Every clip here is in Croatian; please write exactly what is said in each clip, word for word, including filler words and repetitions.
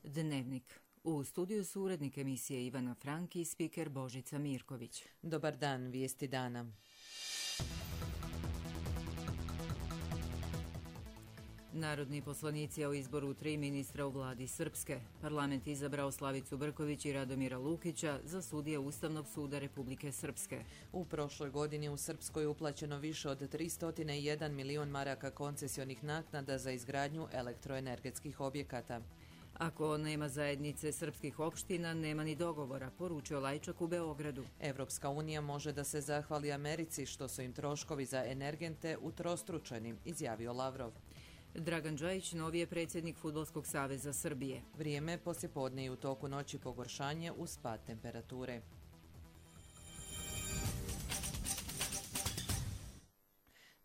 Dnevnik. U studiju su urednik emisije Ivana Frank i spiker Božica Mirković. Dobar dan, vijesti dana. Narodni poslanici o izboru tri ministra u vladi Srpske. Parlament izabrao Slavicu Brković i Radomira Lukića za sudije Ustavnog suda Republike Srpske. U prošloj godini u Srpskoj je uplaćeno više od tristo jedan milion maraka koncesionih naknada za izgradnju elektroenergetskih objekata. Ako nema zajednice srpskih opština, nema ni dogovora, poručio Lajčak u Beogradu. Evropska unija može da se zahvali Americi što su im troškovi za energente utrostručeni, izjavio Lavrov. Dragan Džajić, novi je predsjednik Fudbalskog saveza Srbije. Vrijeme poslijepodne i u toku noći pogoršanje uz pad temperature.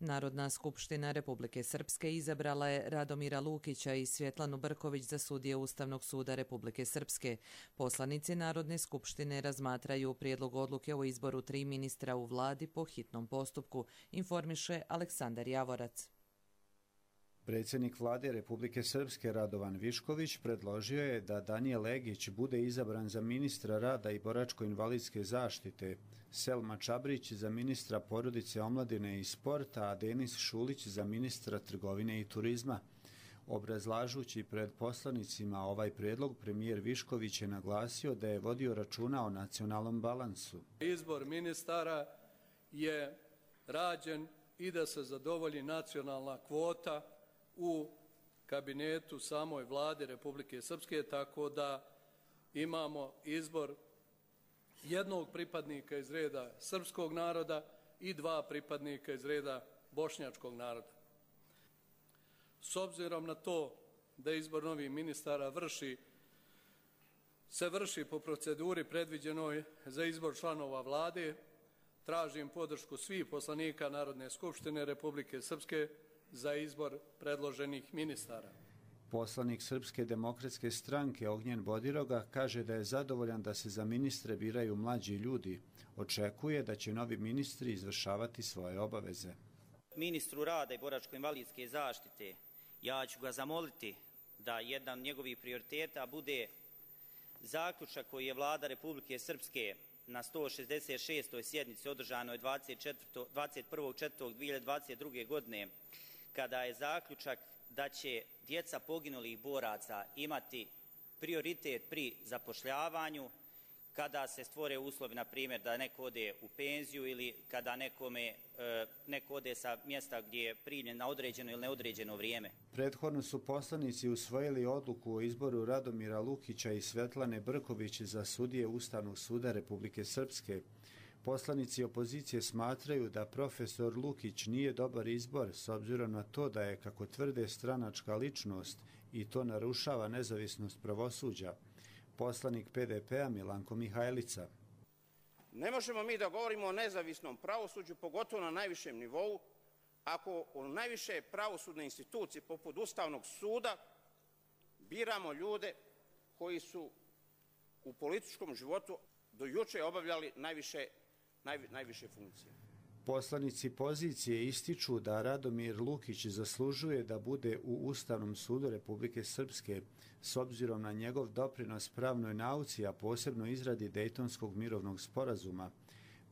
Narodna skupština Republike Srpske izabrala je Radomira Lukića i Svjetlanu Brković za sudije Ustavnog suda Republike Srpske. Poslanici Narodne skupštine razmatraju prijedlog odluke o izboru tri ministra u vladi po hitnom postupku, informiše Aleksandar Javorac. Predsjednik vlade Republike Srpske Radovan Višković predložio je da Danijel Legić bude izabran za ministra rada i boračko-invalidske zaštite, Selma Čabrić za ministra porodice, omladine i sporta, a Denis Šulić za ministra trgovine i turizma. Obrazlažući pred poslanicima ovaj prijedlog, premijer Višković je naglasio da je vodio računa o nacionalnom balansu. Izbor ministara je rađen i da se zadovolji nacionalna kvota u kabinetu samoj vlade Republike Srpske, tako da imamo izbor jednog pripadnika iz reda srpskog naroda i dva pripadnika iz reda bošnjačkog naroda. S obzirom na to da izbor novih ministara vrši, se vrši po proceduri predviđenoj za izbor članova vlade, tražim podršku svih poslanika Narodne skupštine Republike Srpske za izbor predloženih ministara. Poslanik Srpske demokratske stranke Ognjen Bodiroga kaže da je zadovoljan da se za ministre biraju mlađi ljudi. Očekuje da će novi ministri izvršavati svoje obaveze. Ministru rada i boračko-invalidske zaštite, ja ću ga zamoliti da jedan od njegovih prioriteta bude zaključak koji je vlada Republike Srpske na sto šezdeset šestoj sjednici održanoj dvadeset prvog četvrtog dvije hiljade dvadeset druge. godine, kada je zaključak da će djeca poginulih boraca imati prioritet pri zapošljavanju, kada se stvore uslovi, na primjer, da neko ode u penziju ili kada nekome, neko ode sa mjesta gdje je primljen na određeno ili neodređeno vrijeme. Prethodno su poslanici usvojili odluku o izboru Radomira Lukića i Svetlane Brković za sudije Ustavnog suda Republike Srpske. Poslanici opozicije smatraju da profesor Lukić nije dobar izbor s obzirom na to da je, kako tvrde, stranačka ličnost i to narušava nezavisnost pravosuđa. Poslanik P D P-a Milanko Mihajlica. Ne možemo mi da govorimo o nezavisnom pravosuđu, pogotovo na najvišem nivou, ako u najviše pravosudne institucije poput Ustavnog suda biramo ljude koji su u političkom životu do juče obavljali najviše, naj, najviše funkcije. Poslanici pozicije ističu da Radomir Lukić zaslužuje da bude u Ustavnom sudu Republike Srpske s obzirom na njegov doprinos pravnoj nauci, a posebno izradi Dejtonskog mirovnog sporazuma.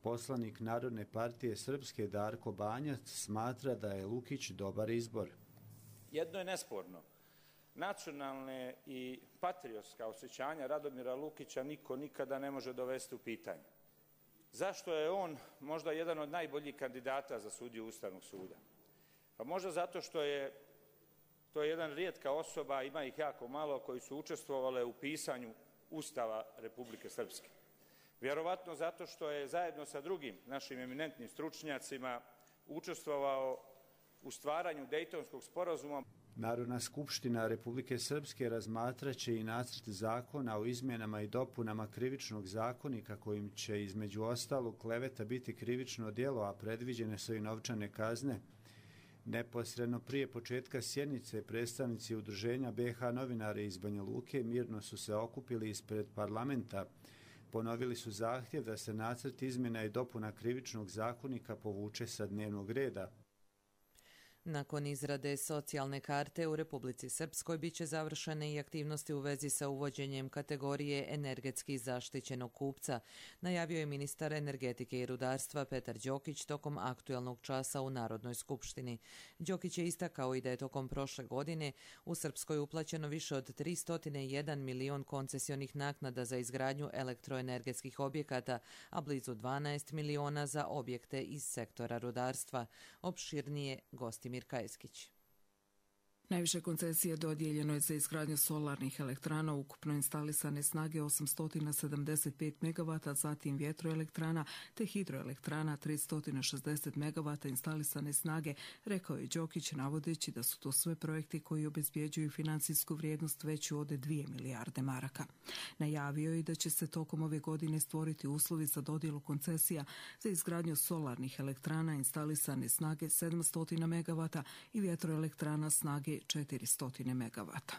Poslanik Narodne partije Srpske Darko Banjac smatra da je Lukić dobar izbor. Jedno je nesporno. Nacionalne i patriotska osjećanja Radomira Lukića niko nikada ne može dovesti u pitanje. Zašto je on možda jedan od najboljih kandidata za sudiju Ustavnog suda? Pa možda zato što je to je jedan rijetka osoba, ima ih jako malo, koji su učestvovali u pisanju Ustava Republike Srpske. Vjerovatno zato što je zajedno sa drugim našim eminentnim stručnjacima učestvovao u stvaranju Dejtonskog sporazuma. Narodna skupština Republike Srpske razmatraće i nacrt zakona o izmjenama i dopunama krivičnog zakonika kojim će između ostalog kleveta biti krivično djelo, a predviđene su i novčane kazne. Neposredno prije početka sjednice predstavnici udruženja B H novinari iz Banja Luke mirno su se okupili ispred parlamenta. Ponovili su zahtjev da se nacrt izmjena i dopuna krivičnog zakonika povuče sa dnevnog reda. Nakon izrade socijalne karte u Republici Srpskoj bit će završene i aktivnosti u vezi sa uvođenjem kategorije energetski zaštićenog kupca, najavio je ministar energetike i rudarstva Petar Đokić tokom aktuelnog časa u Narodnoj skupštini. Đokić je istakao i da je tokom prošle godine u Srpskoj uplaćeno više od tristo jedan milion koncesionih naknada za izgradnju elektroenergetskih objekata, a blizu dvanaest miliona za objekte iz sektora rudarstva. Opširnije gosti Mir Kajskić. Najviše koncesije dodijeljeno je za izgradnju solarnih elektrana, ukupno instalisane snage osamsto sedamdeset pet megavata, zatim vjetroelektrana te hidroelektrana tristo šezdeset megavata instalisane snage, rekao je Đokić navodeći da su to sve projekti koji obezbjeđuju financijsku vrijednost veću od dvije milijarde maraka. Najavio je da će se tokom ove godine stvoriti uslovi za dodjelu koncesija za izgradnju solarnih elektrana instalisane snage sedamsto megavata i vjetroelektrana snage četiristo megavata.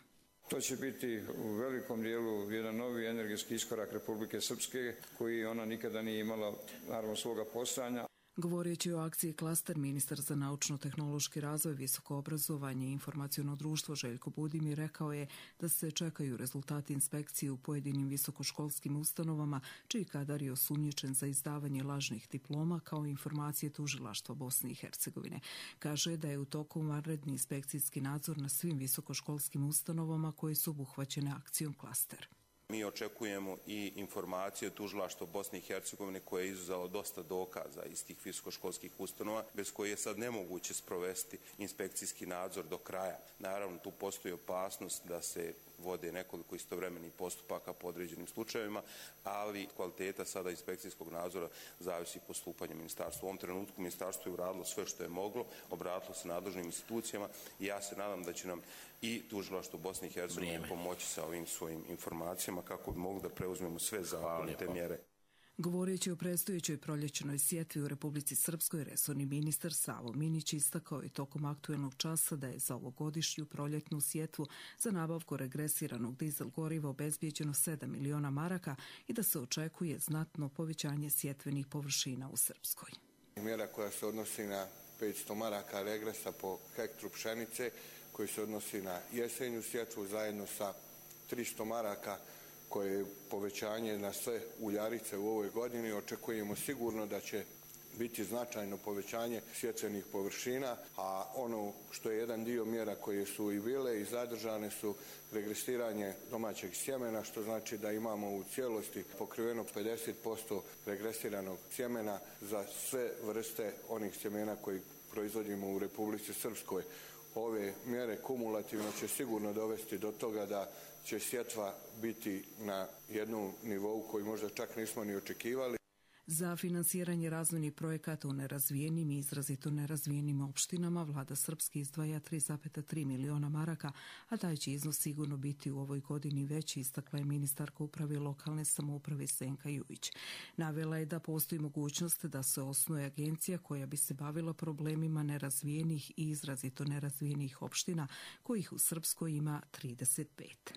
To će biti u velikom dijelu jedan novi energetski iskorak Republike Srpske koji ona nikada nije imala, naravno, svoga postojanja. Govoreći o akciji Klaster, ministar za naučno-tehnološki razvoj, visoko obrazovanje i informaciono društvo Željko Budimir rekao je da se čekaju rezultati inspekcije u pojedinim visokoškolskim ustanovama, čiji kadar je osumnjičen za izdavanje lažnih diploma, kao informacije tužilaštva Bosne i Hercegovine. Kaže da je u toku vanredni inspekcijski nadzor na svim visokoškolskim ustanovama koje su obuhvaćene akcijom Klaster. Mi očekujemo i informacije tužilaštva Bosne i Hercegovine koje je izuzelo dosta dokaza iz tih visokoškolskih ustanova, bez koje je sad nemoguće sprovesti inspekcijski nadzor do kraja. Naravno, tu postoji opasnost da se vode nekoliko istovremenih postupaka po određenim slučajevima, ali kvaliteta sada inspekcijskog nadzora zavisi postupanje ministarstva. U ovom trenutku ministarstvo je uradilo sve što je moglo, obratilo se nadležnim institucijama i ja se nadam da će nam i tužilaštvo Bosne i Hercegovine pomoći sa ovim svojim informacijama kako bi mogli da preuzmemo sve zakonite mjere. Govoreći o predstojećoj proljećnoj sjetvi u Republici Srpskoj, resorni ministar Savo Minić istakao je tokom aktuelnog časa da je za ovogodišnju proljetnu sjetvu za nabavku regresiranog dizel goriva obezbijeđeno sedam miliona maraka i da se očekuje znatno povećanje sjetvenih površina u Srpskoj. Mjera koja se odnosi na petsto maraka regresa po hektru pšenice, koji se odnosi na jesenju sjetvu zajedno sa tristo maraka koje je povećanje na sve uljarice u ovoj godini. Očekujemo sigurno da će biti značajno povećanje sjetvenih površina, a ono što je jedan dio mjera koje su i bile i zadržane su regresiranje domaćeg sjemena, što znači da imamo u cijelosti pokriveno pedeset posto regresiranog sjemena za sve vrste onih sjemena koji proizvodimo u Republici Srpskoj. Ove mjere kumulativno će sigurno dovesti do toga da će sjetva biti na jednom nivou koji možda čak nismo ni očekivali. Za finansiranje razvojnih projekata u nerazvijenim i izrazito nerazvijenim opštinama vlada Srpske izdvaja tri zarez tri miliona maraka, a taj će iznos sigurno biti u ovoj godini veći, istakla je ministarka uprave lokalne samouprave Senka Jujić. Navela je da postoji mogućnost da se osnuje agencija koja bi se bavila problemima nerazvijenih i izrazito nerazvijenih opština, kojih u Srpskoj ima trideset pet.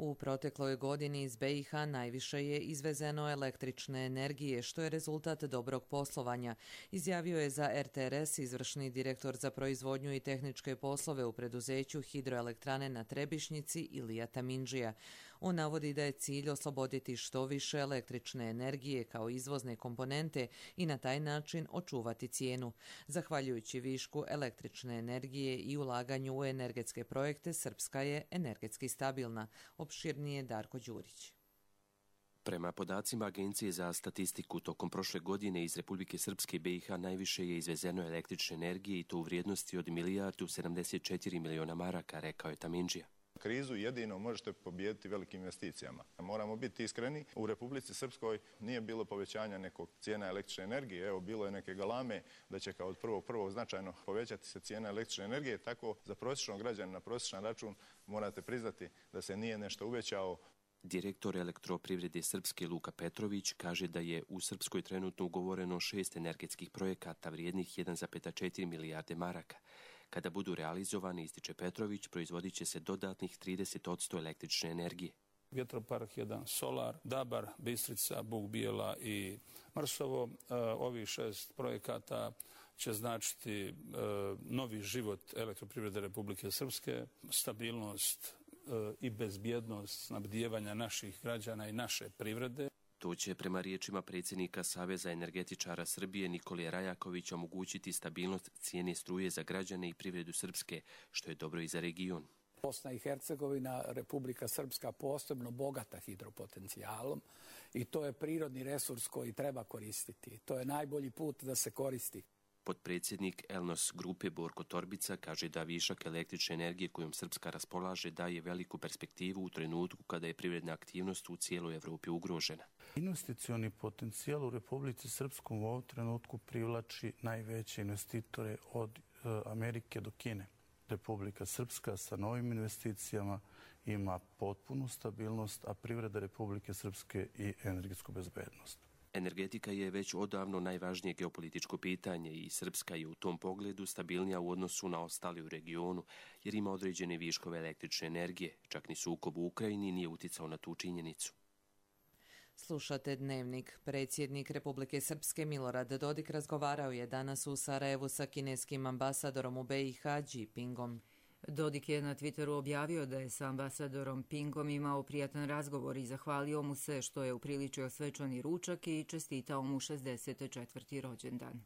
U protekloj godini iz be i ha najviše je izvezeno električne energije, što je rezultat dobrog poslovanja, izjavio je za er te er es izvršni direktor za proizvodnju i tehničke poslove u preduzeću hidroelektrane na Trebišnjici Ilija Tamindžija. On navodi da je cilj osloboditi što više električne energije kao izvozne komponente i na taj način očuvati cijenu. Zahvaljujući višku električne energije i ulaganju u energetske projekte, Srpska je energetski stabilna. Opširnije Darko Đurić. Prema podacima Agencije za statistiku, tokom prošle godine iz Republike Srpske i be i ha najviše je izvezeno električne energije i to u vrijednosti od milijardu sedamdeset četiri miliona maraka, rekao je Tamindžija. Krizu jedino možete pobijediti velikim investicijama. Moramo biti iskreni, u Republici Srpskoj nije bilo povećanja nekog cijena električne energije. Evo, bilo je neke galame da će kao od prvog prvog značajno povećati se cijena električne energije. Tako za prosječnog građana na prosječan račun morate priznati da se nije nešto uvećao. Direktor Elektroprivrede Srpske Luka Petrović kaže da je u Srpskoj trenutno ugovoreno šest energetskih projekata vrijednih jedan zarez četiri milijarde maraka. Kada budu realizovani, ističe Petrović, proizvodit će se dodatnih trideset posto električne energije. Vjetropark jedan, Solar, Dabar, Bistrica, Buk Bijela i Mrsovo. Ovih šest projekata će značiti e, novi život elektroprivrede Republike Srpske, stabilnost e, i bezbjednost snabdijevanja naših građana i naše privrede. To će prema riječima predsjednika Saveza energetičara Srbije Nikolija Rajakovića omogućiti stabilnost cijene struje za građane i privredu Srpske, što je dobro i za region. Bosna i Hercegovina, Republika Srpska, posebno bogata hidropotencijalom i to je prirodni resurs koji treba koristiti. To je najbolji put da se koristi. Potpredsjednik Elnos grupe Borko Torbica kaže da višak električne energije kojom Srpska raspolaže daje veliku perspektivu u trenutku kada je privredna aktivnost u cijeloj Evropi ugrožena. Investicioni potencijal u Republici Srpskom u ovom trenutku privlači najveće investitore od e, Amerike do Kine. Republika Srpska sa novim investicijama ima potpunu stabilnost, a privreda Republike Srpske i energetsku bezbednost. Energetika je već odavno najvažnije geopolitičko pitanje i Srpska je u tom pogledu stabilnija u odnosu na ostali u regionu, jer ima određene viškove električne energije. Čak ni sukob u Ukrajini nije uticao na tu činjenicu. Slušate Dnevnik. Predsjednik Republike Srpske Milorad Dodik razgovarao je danas u Sarajevu sa kineskim ambasadorom u be i ha Xi Jinpingom. Dodik je na Twitteru objavio da je sa ambasadorom Pingom imao prijatan razgovor i zahvalio mu se što je upriličio svečani ručak i čestitao mu šezdeset četvrti rođendan.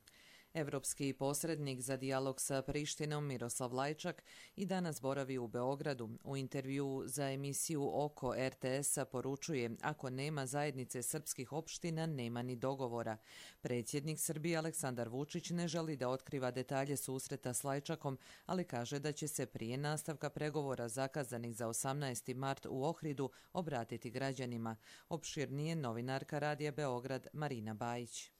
Evropski posrednik za dijalog sa Prištinom Miroslav Lajčak i danas boravi u Beogradu. U intervjuu za emisiju Oko er te esa poručuje: ako nema zajednice srpskih opština, nema ni dogovora. Predsjednik Srbije Aleksandar Vučić ne želi da otkriva detalje susreta s Lajčakom, ali kaže da će se prije nastavka pregovora zakazanih za osamnaesti mart u Ohridu obratiti građanima. Opširnije novinarka Radija Beograd Marina Bajić.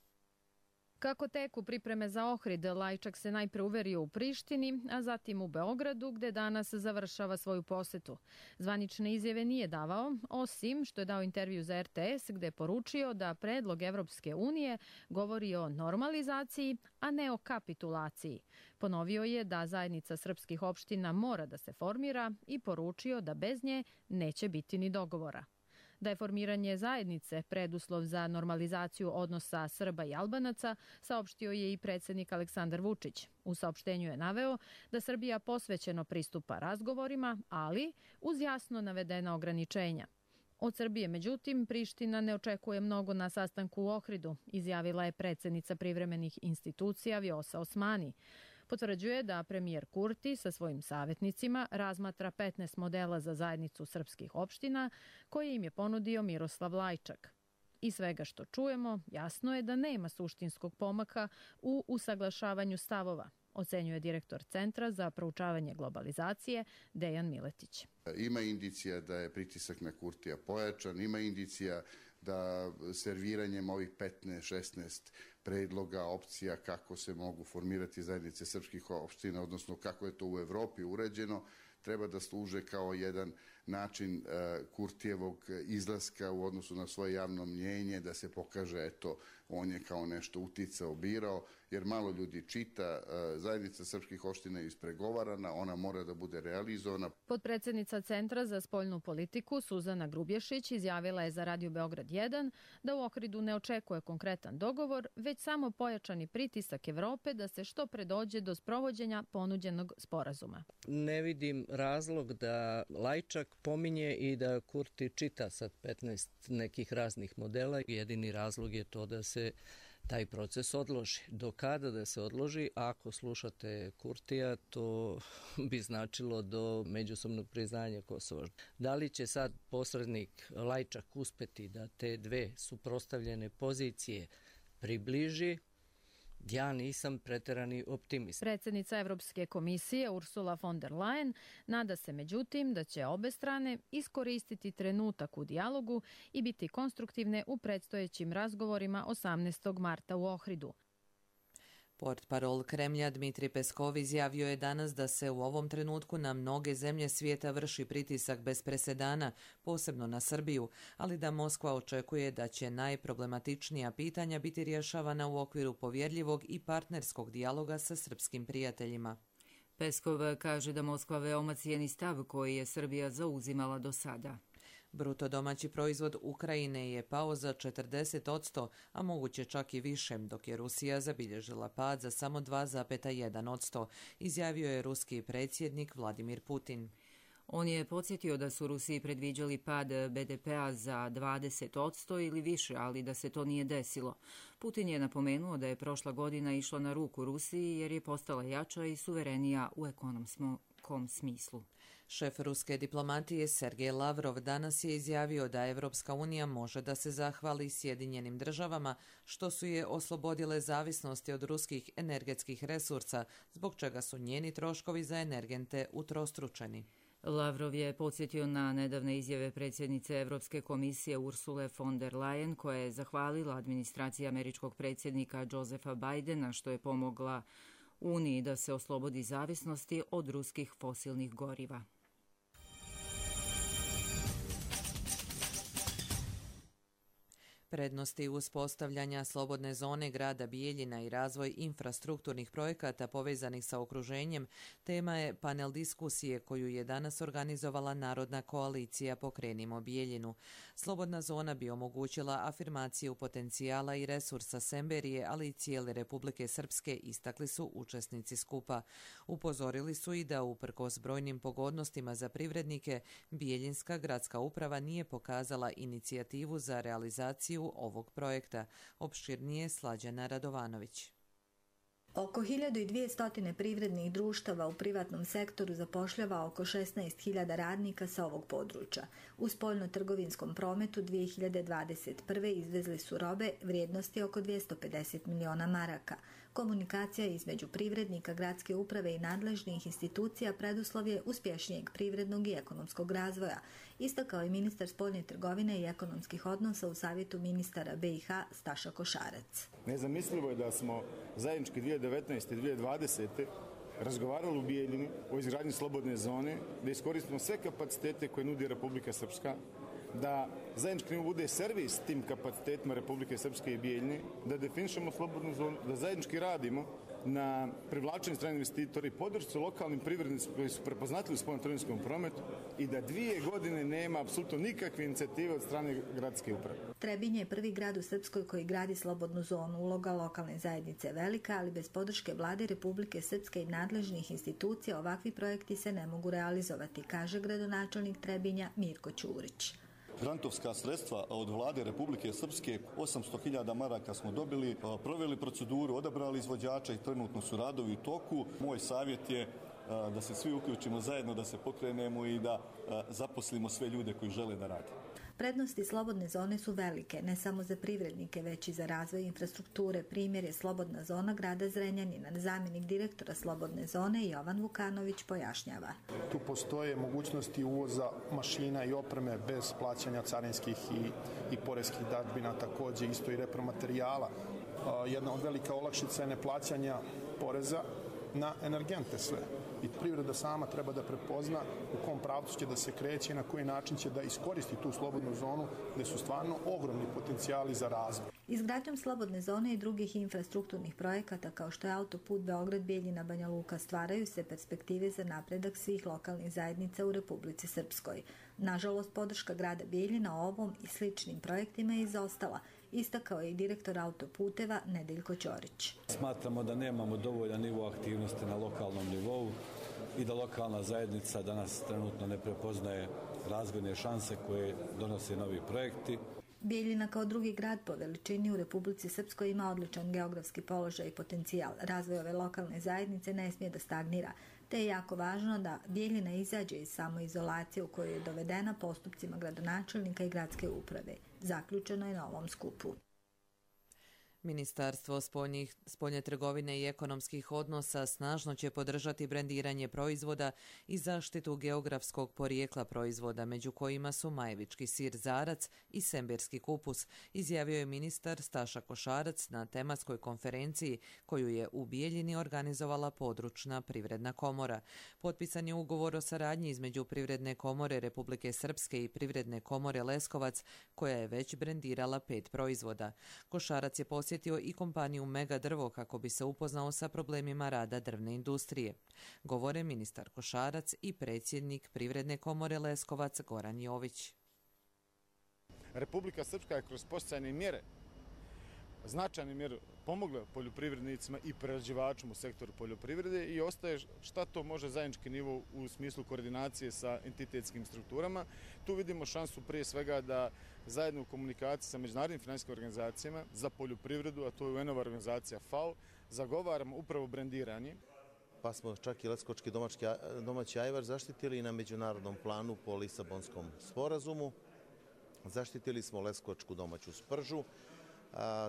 Kako teku pripreme za Ohrid, Lajčak se najpre uverio u Prištini, a zatim u Beogradu, gde danas završava svoju posetu. Zvanične izjave nije davao, osim što je dao intervju za er te es, gde je poručio da predlog Evropske unije govori o normalizaciji, a ne o kapitulaciji. Ponovio je da zajednica srpskih opština mora da se formira i poručio da bez nje neće biti ni dogovora. Da je formiranje zajednice preduslov za normalizaciju odnosa Srba i Albanaca, saopštio je i predsjednik Aleksandar Vučić. U saopštenju je naveo da Srbija posvećeno pristupa razgovorima, ali uz jasno navedena ograničenja. Od Srbije, međutim, Priština ne očekuje mnogo na sastanku u Ohridu, izjavila je predsjednica privremenih institucija Vjosa Osmani. Potvrđuje da premijer Kurti sa svojim savjetnicima razmatra petnaest modela za zajednicu srpskih opština koje im je ponudio Miroslav Lajčak. Iz svega što čujemo, jasno je da nema suštinskog pomaka u usaglašavanju stavova, ocenjuje direktor Centra za proučavanje globalizacije Dejan Miletić. Ima indicija da je pritisak na Kurtija pojačan, ima indicija da serviranjem ovih petnaest šesnaest predloga, opcija kako se mogu formirati zajednice srpskih opština, odnosno kako je to u Evropi uređeno, treba da služe kao jedan način uh, Kurtijevog izlaska u odnosu na svoje javno mnjenje, da se pokaže, eto, on je kao nešto uticao, birao, jer malo ljudi čita. Uh, zajednica srpskih opština je ispregovarana, ona mora da bude realizovana. Potpredsjednica Centra za spoljnu politiku Suzana Grubješić izjavila je za Radio Beograd jedan da u Ohridu ne očekuje konkretan dogovor, već samo pojačani pritisak Evrope da se što pre dođe do sprovođenja ponuđenog sporazuma. Ne vidim razlog da Lajčak pominje i da Kurti čita sad petnaest nekih raznih modela. Jedini razlog je to da se taj proces odloži. Do kada da se odloži? Ako slušate Kurtija, to bi značilo do međusobnog priznanja Kosova. Da li će sad posrednik Lajčak uspeti da te dve suprotstavljene pozicije približi? Ja nisam preterani optimist. Predsjednica Evropske komisije Ursula von der Leyen nada se međutim da će obe strane iskoristiti trenutak u dijalogu i biti konstruktivne u predstojećim razgovorima osamnaestog marta u Ohridu. Portparol Kremlja Dmitri Peskov izjavio je danas da se u ovom trenutku na mnoge zemlje svijeta vrši pritisak bez presedana, posebno na Srbiju, ali da Moskva očekuje da će najproblematičnija pitanja biti rješavana u okviru povjerljivog i partnerskog dijaloga sa srpskim prijateljima. Peskov kaže da Moskva veoma cijeni stav koji je Srbija zauzimala do sada. Bruto domaći proizvod Ukrajine je pao za četrdeset posto, a moguće čak i više, dok je Rusija zabilježila pad za samo dva zarez jedan posto, izjavio je ruski predsjednik Vladimir Putin. On je podsjetio da su Rusiji predviđali pad be de pea za dvadeset posto ili više, ali da se to nije desilo. Putin je napomenuo da je prošla godina išla na ruku Rusiji jer je postala jača i suverenija u ekonomskom smislu. Šef ruske diplomatije Sergej Lavrov danas je izjavio da Evropska unija može da se zahvali Sjedinjenim državama što su je oslobodile zavisnosti od ruskih energetskih resursa, zbog čega su njeni troškovi za energente utrostručeni. Lavrov je podsjetio na nedavne izjave predsjednice Evropske komisije Ursule von der Leyen, koja je zahvalila administraciji američkog predsjednika Josepha Bidena što je pomogla Uniji da se oslobodi zavisnosti od ruskih fosilnih goriva. Prednosti uspostavljanja slobodne zone grada Bijeljina i razvoj infrastrukturnih projekata povezanih sa okruženjem tema je panel diskusije koju je danas organizovala Narodna koalicija Pokrenimo Bijeljinu. Slobodna zona bi omogućila afirmaciju potencijala i resursa Semberije, ali i cijele Republike Srpske, istakli su učesnici skupa. Upozorili su i da uprkos brojnim pogodnostima za privrednike, Bijeljinska gradska uprava nije pokazala inicijativu za realizaciju ovog projekta. Opširnije Slađana Radovanović. Oko hiljadu dvjesto privrednih društava u privatnom sektoru zapošljava oko šesnaest hiljada radnika sa ovog područja. U spoljno-trgovinskom prometu dvije hiljade dvadeset prve. izvezli su robe vrijednosti oko dvjesto pedeset miliona maraka. Komunikacija između privrednika, gradske uprave i nadležnih institucija preduslov je uspješnijeg privrednog i ekonomskog razvoja, istakao je ministar spoljne trgovine i ekonomskih odnosa u savjetu ministara be i ha Staša Košarac. Nezamislivo je da smo zajednički dvije hiljade devetnaeste i dvije hiljade dvadesete. razgovarali u Bijeljini o izgradnji slobodne zone, da iskoristimo sve kapacitete koje nudi Republika Srpska, da zajednički bude servis tim kapacitetima Republike Srpske i Bijeljine, da definišemo slobodnu zonu, da zajednički radimo na privlačenju stranih investitora i podršci lokalnim privrednicima koji su prepoznatljivi u spoljno-trgovinskom prometu i da dvije godine nema apsolutno nikakve inicijative od strane gradske uprave. Trebinje je prvi grad u Srpskoj koji gradi slobodnu zonu. Uloga lokalne zajednice je velika, ali bez podrške vlade Republike Srpske i nadležnih institucija ovakvi projekti se ne mogu realizovati, kaže gradonačelnik Trebinja Mirko Ćurić. Grantovska sredstva od vlade Republike Srpske, osamsto hiljada maraka smo dobili, proveli proceduru, odabrali izvođača i trenutno su radovi u toku. Moj savjet je da se svi uključimo zajedno, da se pokrenemo i da zaposlimo sve ljude koji žele da rade. Prednosti slobodne zone su velike, ne samo za privrednike, već i za razvoj infrastrukture. Primjer je slobodna zona grada Zrenjanina. Zamjenik direktora slobodne zone Jovan Vukanović pojašnjava. Tu postoje mogućnosti uvoza mašina i opreme bez plaćanja carinskih i, i poreskih dažbina, također isto i repromaterijala. Jedna od velika olakšica je neplaćanja poreza na energente sve. I privreda sama treba da prepozna u kom pravcu će da se kreće i na koji način će da iskoristi tu slobodnu zonu gdje su stvarno ogromni potencijali za razvoj. Izgradnjom slobodne zone i drugih infrastrukturnih projekata kao što je autoput Beograd-Bijeljina Banja Luka stvaraju se perspektive za napredak svih lokalnih zajednica u Republici Srpskoj. Nažalost, podrška grada Bijeljina ovom i sličnim projektima je izostala, istakao je i direktor autoputeva Nedeljko Ćorić. Smatramo da nemamo dovoljan nivo aktivnosti na lokalnom nivou i da lokalna zajednica danas trenutno ne prepoznaje razvojne šanse koje donose novi projekti. Bijeljina kao drugi grad po veličini u Republici Srpskoj ima odličan geografski položaj i potencijal. Razvoj ove lokalne zajednice ne smije da stagnira, te je jako važno da Bijeljina izađe iz samoizolacije u kojoj je dovedena postupcima gradonačelnika i gradske uprave. Zaključeno je na ovom skupu. Ministarstvo spoljnih, spoljne trgovine i ekonomskih odnosa snažno će podržati brendiranje proizvoda i zaštitu geografskog porijekla proizvoda, među kojima su majevički sir Zarac i semberski kupus, izjavio je ministar Staša Košarac na tematskoj konferenciji koju je u Bijeljini organizovala područna privredna komora. Potpisan je ugovor o saradnji između Privredne komore Republike Srpske i Privredne komore Leskovac, koja je već brendirala pet proizvoda. Košarac je posjetio i kompaniju Mega Drvo kako bi se upoznao sa problemima rada drvne industrije. Govore ministar Košarac i predsjednik Privredne komore Leskovac Goran Jović. Republika Srpska je kroz podsticajne mjere, značajne mjere pomogla poljoprivrednicima i prerađivačima u sektoru poljoprivrede i ostaje šta to može zajednički nivo u smislu koordinacije sa entitetskim strukturama. Tu vidimo šansu prije svega da zajedno u komunikaciji sa međunarodnim financijskim organizacijama za poljoprivredu, a to je U N-ova organizacija F A O, zagovaramo upravo brendiranje. Pa smo čak i leskovački domaći ajvar zaštitili na međunarodnom planu po Lisabonskom sporazumu. Zaštitili smo leskovačku domaću spržu,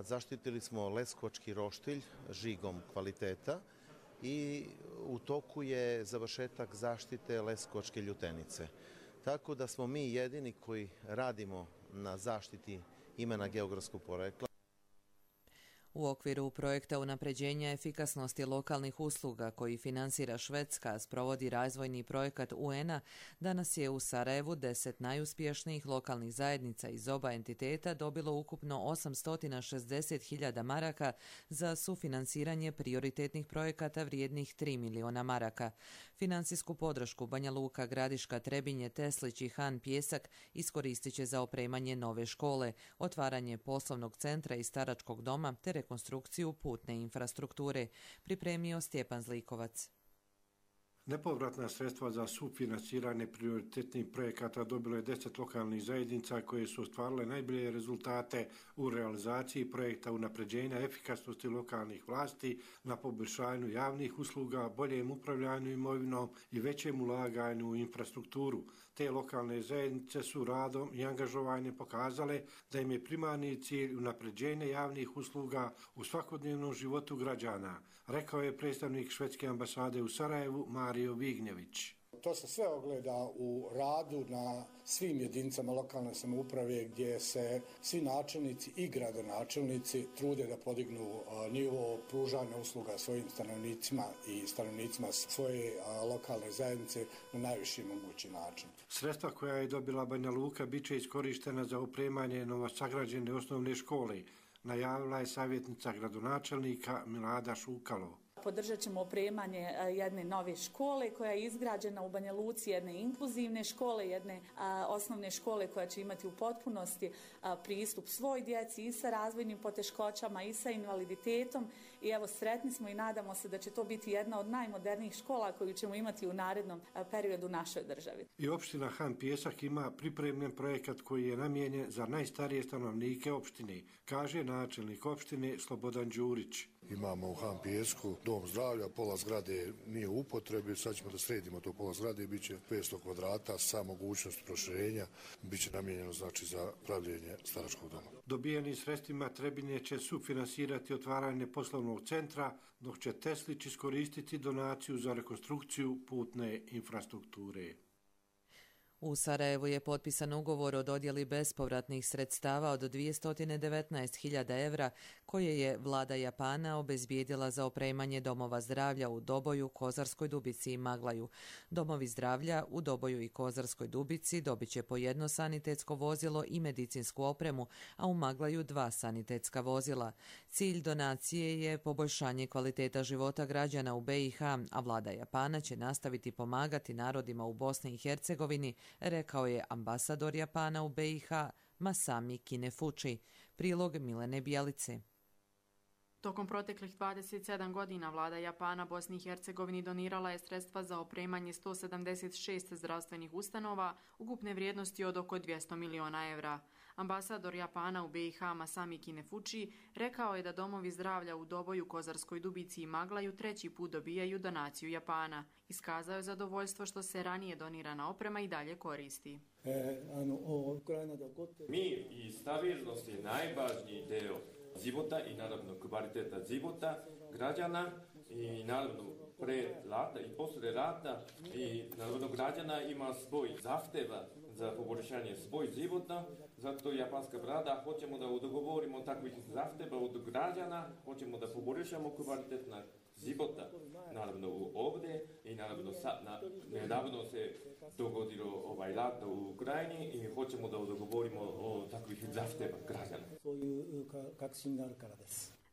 zaštitili smo leskovački roštilj žigom kvaliteta i u toku je završetak zaštite leskovačke ljutenice. Tako da smo mi jedini koji radimo na zaštiti imena geografskog porekla. U okviru projekta unapređenja efikasnosti lokalnih usluga koji finansira Švedska, sprovodi razvojni projekat U N-a, danas je u Sarajevu deset najuspješnijih lokalnih zajednica iz oba entiteta dobilo ukupno osamsto šezdeset hiljada maraka za sufinansiranje prioritetnih projekata vrijednih tri miliona maraka. Finansijsku podršku Banja Luka, Gradiška, Trebinje, Teslić i Han Pjesak iskoristit će za opremanje nove škole, otvaranje poslovnog centra i staračkog doma te rekonstrukciju putne infrastrukture, pripremio Stjepan Zlikovac. Nepovratna sredstva za sufinansiranje prioritetnih projekata dobilo je deset lokalnih zajednica koje su ostvarile najbolje rezultate u realizaciji projekta unapređenja efikasnosti lokalnih vlasti na poboljšanju javnih usluga, boljem upravljanju imovinom i većem ulaganju u infrastrukturu. Te lokalne zajednice su radom i angažovanjem pokazale da im je primarni cilj unapređenje javnih usluga u svakodnevnom životu građana, rekao je predstavnik švedske ambasade u Sarajevu Mario Vignjević. To se sve ogleda u radu na svim jedinicama lokalne samouprave gdje se svi načelnici i gradonačelnici trude da podignu nivo pružanja usluga svojim stanovnicima i stanovnicima svoje lokalne zajednice na najviši mogući način. Sredstva koja je dobila Banja Luka bit će iskorištena za opremanje novosagrađene osnovne škole, najavila je savjetnica gradonačelnika Milada Šukalo. Podržat ćemo opremanje jedne nove škole koja je izgrađena u Banja Luci, jedne inkluzivne škole, jedne a, osnovne škole koja će imati u potpunosti a, pristup svoj djeci i sa razvojnim poteškoćama i sa invaliditetom. I evo, sretni smo i nadamo se da će to biti jedna od najmodernijih škola koju ćemo imati u narednom a, periodu u našoj državi. I opština Han Pjesak ima pripremljen projekat koji je namijenjen za najstarije stanovnike opštine, kaže načelnik opštine Slobodan Đurić. Imamo u Han Pjesku dom zdravlja, pola zgrade nije u upotrebi, sad ćemo da sredimo to pola zgrade, bit će petsto kvadrata sa mogućnost proširenja, bit će namijenjeno znači za pravljenje staračkog doma. Dobijenim sredstvima Trebinje će sufinansirati otvaranje poslovnog centra, dok će Teslić iskoristiti donaciju za rekonstrukciju putne infrastrukture. U Sarajevu je potpisan ugovor o dodjeli bespovratnih sredstava od dvjesto devetnaest hiljada evra koje je vlada Japana obezbijedila za opremanje domova zdravlja u Doboju, Kozarskoj Dubici i Maglaju. Domovi zdravlja u Doboju i Kozarskoj Dubici dobit će po jedno sanitetsko vozilo i medicinsku opremu, a u Maglaju dva sanitetska vozila. Cilj donacije je poboljšanje kvaliteta života građana u B i H, a vlada Japana će nastaviti pomagati narodima u Bosni i Hercegovini, rekao je ambasador Japana u B i H Masami Kinefuchi. Prilog Milene Bijalice. Tokom proteklih dvadeset sedam godina vlada Japana Bosni i Hercegovini donirala je sredstva za opremanje sto sedamdeset šest zdravstvenih ustanova ukupne vrijednosti od oko dvjesto miliona evra. Ambasador Japana u B i H Masami Kinefuchi rekao je da domovi zdravlja u Doboju, Kozarskoj Dubici i Maglaju treći put dobijaju donaciju Japana. Iskazao je zadovoljstvo što se ranije donirana oprema i dalje koristi. Mir i stabilnost je najvažniji deo života i naravno kvaliteta života građana i naravno pre rata i posle rata i naravno građana ima svoj zahteva za poboljšanje svoj života, zato japanska vlada hoćemo da dogovorimo takvih zahteva od građana, hoćemo da poboljšamo kvalitet na života, naravno ovdje i naravno sa, na, nedavno se dogodilo ovaj rat u Ukrajini i hoćemo da dogovorimo o takvih zahteva građana.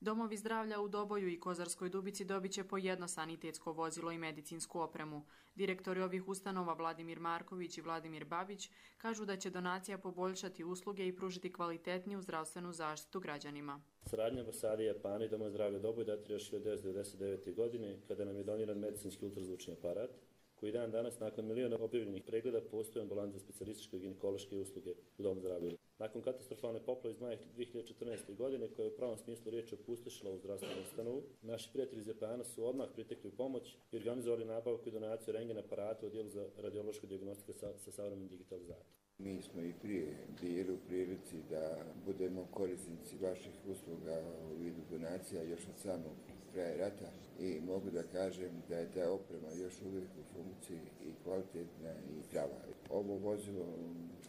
Domovi zdravlja u Doboju i Kozarskoj Dubici dobit će po jedno sanitetsko vozilo i medicinsku opremu. Direktori ovih ustanova Vladimir Marković i Vladimir Babić kažu da će donacija poboljšati usluge i pružiti kvalitetniju zdravstvenu zaštitu građanima. Saradnja ambasade Japana i Doma zdravlja Doboj datira još hiljadu devetsto devedeset devete. godine kada nam je doniran medicinski ultrazvučni aparat, koji dan danas nakon miliona objavljenih pregleda postoji ambulant za specijalističke i ginekološke usluge u Domu zdravlja. Nakon katastrofalne poplave iz maja dvije hiljade četrnaeste. godine koja je u pravom smislu riječi opustošila u zdravstvenu ustanovu, naši prijatelji iz Japana su odmah pritekli u pomoć i organizovali nabavku i donaciju rentgen aparata u odjelu za radiološku dijagnostiku sa, sa savremenom digitalizacijom. Mi smo i prije bili u prilici da budemo korisnici vaših usluga u vidu donacija još od samog kraja rata i mogu da kažem da je ta oprema još uvijek u funkciji i kvalitetna i prava. Ovo vozilo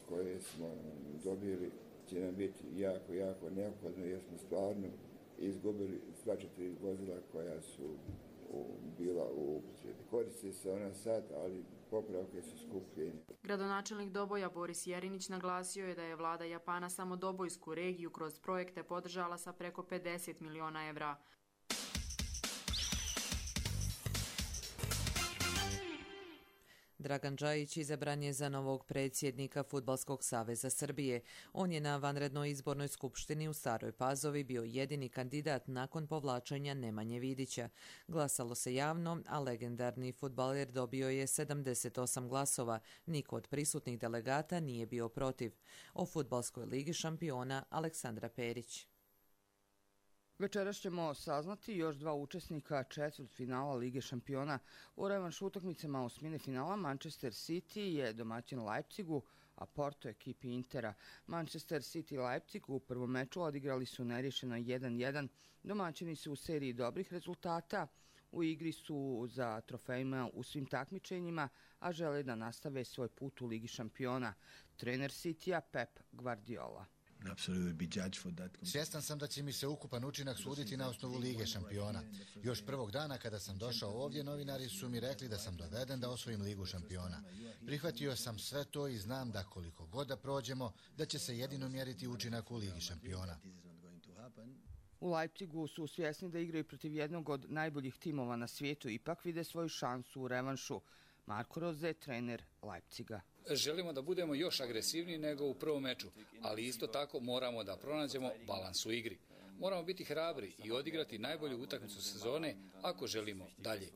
koje smo dobili će nam biti jako, jako neophodno jer smo stvarno izgubili sva četiri vozila koja su u, bila u upotrebi. Koriste se ona sad, ali popravke su skuplje. Gradonačelnik Doboja Boris Jerinić naglasio je da je vlada Japana samo Dobojsku regiju kroz projekte podržala sa preko pedeset miliona evra. Dragan Džajić izabran je za novog predsjednika Fudbalskog saveza Srbije. On je na vanrednoj izbornoj skupštini u Staroj Pazovi bio jedini kandidat nakon povlačenja Nemanje Vidića. Glasalo se javno, a legendarni fudbaler dobio je sedamdeset osam glasova. Niko od prisutnih delegata nije bio protiv. O Fudbalskoj ligi šampiona Aleksandra Perić. Večeras ćemo saznati još dva učesnika četvrtfinala Lige šampiona. U revanš utakmicama osmine finala Manchester City je domaćin Leipzigu, a Porto ekipi Intera. Manchester City i Leipzig u prvom meču odigrali su neriješeno jedan jedan. Domaćini su u seriji dobrih rezultata. U igri su za trofejima u svim takmičenjima, a žele da nastave svoj put u Ligi šampiona. Trener Citya Pep Guardiola. Svjestan sam da će mi se ukupan učinak suditi na osnovu Lige šampiona. Još prvog dana kada sam došao ovdje, novinari su mi rekli da sam doveden da osvojim Ligu šampiona. Prihvatio sam sve to i znam da koliko god da prođemo, da će se jedino mjeriti učinak u Ligi šampiona. U Leipzigu su svjesni da igraju protiv jednog od najboljih timova na svijetu, ipak vide svoju šansu u revanšu. Marko Rose, trener Leipziga. Želimo da budemo još agresivniji nego u prvom meču, ali isto tako moramo da pronađemo balans u igri. Moramo biti hrabri i odigrati najbolju utakmicu sezone ako želimo dalje.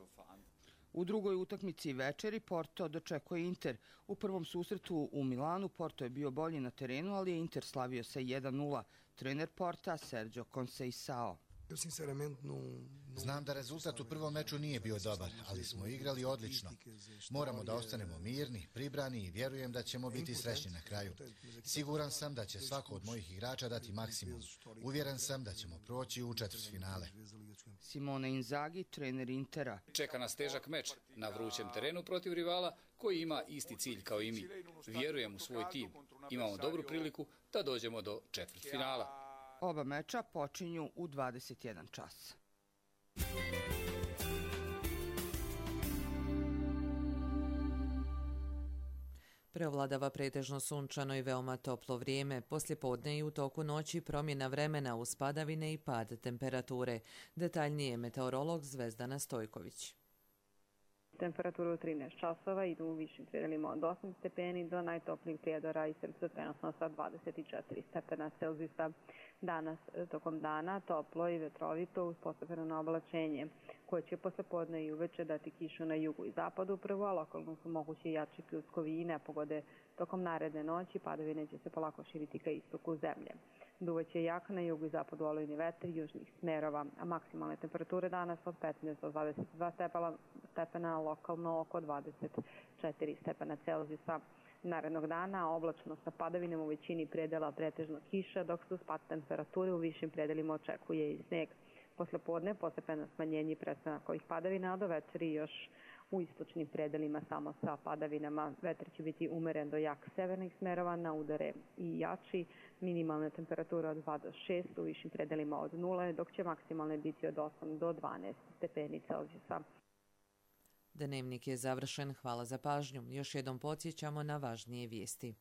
U drugoj utakmici večeri Porto dočekuje Inter. U prvom susretu u Milanu Porto je bio bolji na terenu, ali je Inter slavio se jedan nula. Trener Porta Sergio Conceição. Znam da rezultat u prvom meču nije bio dobar, ali smo igrali odlično. Moramo da ostanemo mirni, pribrani i vjerujem da ćemo biti srećni na kraju. Siguran sam da će svako od mojih igrača dati maksimum. Uvjeren sam da ćemo proći u četvrtfinale. Simone Inzaghi, trener Intera. Čeka nas težak meč na vrućem terenu protiv rivala koji ima isti cilj kao i mi. Vjerujem u svoj tim. Imamo dobru priliku da dođemo do četvrtfinala. Oba meča počinju u dvadeset jedan čas. Preovladava pretežno sunčano i veoma toplo vrijeme. Poslijepodne i u toku noći promjena vremena uz padavine i pad temperature. Detaljnije meteorolog Zvezdana Stojković. Temperatura u trinaest časova idu u višim predelima od osam stepeni do najtoplijih prijedora i srca trenutno sa dvadeset četiri stepena Celzijusa. Danas tokom dana toplo i vetrovito uz postepeno oblačenje koje će poslijepodne i uveče dati kišu na jugu i zapadu prvo, a lokalno su moguće jači pljuskovi i nepogode. Tokom naredne noći padavine će se polako širiti ka istoku zemlje. Duvaće jak na jugu i zapadu olujni vetar južnih smerova, a maksimalne temperature danas od petnaest do dvadeset dva stepena, lokalno oko dvadeset četiri stepena Celzijusa. Narednog dana oblačno sa padavinom u većini predela pretežno kiša, dok se uz pad temperature u višim predelima očekuje i sneg. Poslepodne postepeno smanjenje i prestanak ovih padavina, a do večeri još u istočnim predelima samo sa padavinama. Vetar će biti umeren do jak severnih smerova, na udare i jači. Minimalne temperature od dva do šest, u višim predelima od nula, dok će maksimalne biti od osam do dvanaest stepeni Celzijusa. Dnevnik je završen. Hvala za pažnju. Još jednom podsjećamo na važnije vijesti.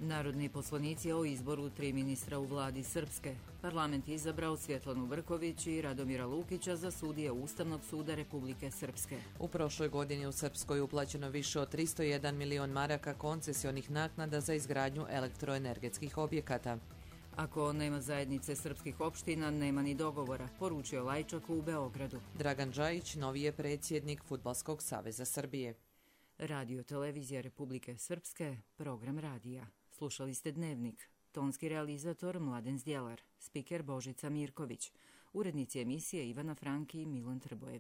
Narodni poslanici o izboru tri ministra u vladi Srpske. Parlament izabrao Svjetlanu Brković i Radomira Lukića za sudije Ustavnog suda Republike Srpske. U prošloj godini u Srpskoj je uplaćeno više od tristo jedan milion maraka koncesionih naknada za izgradnju elektroenergetskih objekata. Ako nema zajednice srpskih opština, nema ni dogovora, poručio Lajčak u Beogradu. Dragan Džajić, novi je predsjednik Fudbalskog saveza Srbije. Radio Televizija Republike Srpske, program radija. Slušali ste Dnevnik. Tonski realizator Mladen Zdjelar, spiker Božica Mirković, urednici emisije Ivana Franki i Milan Trbojević.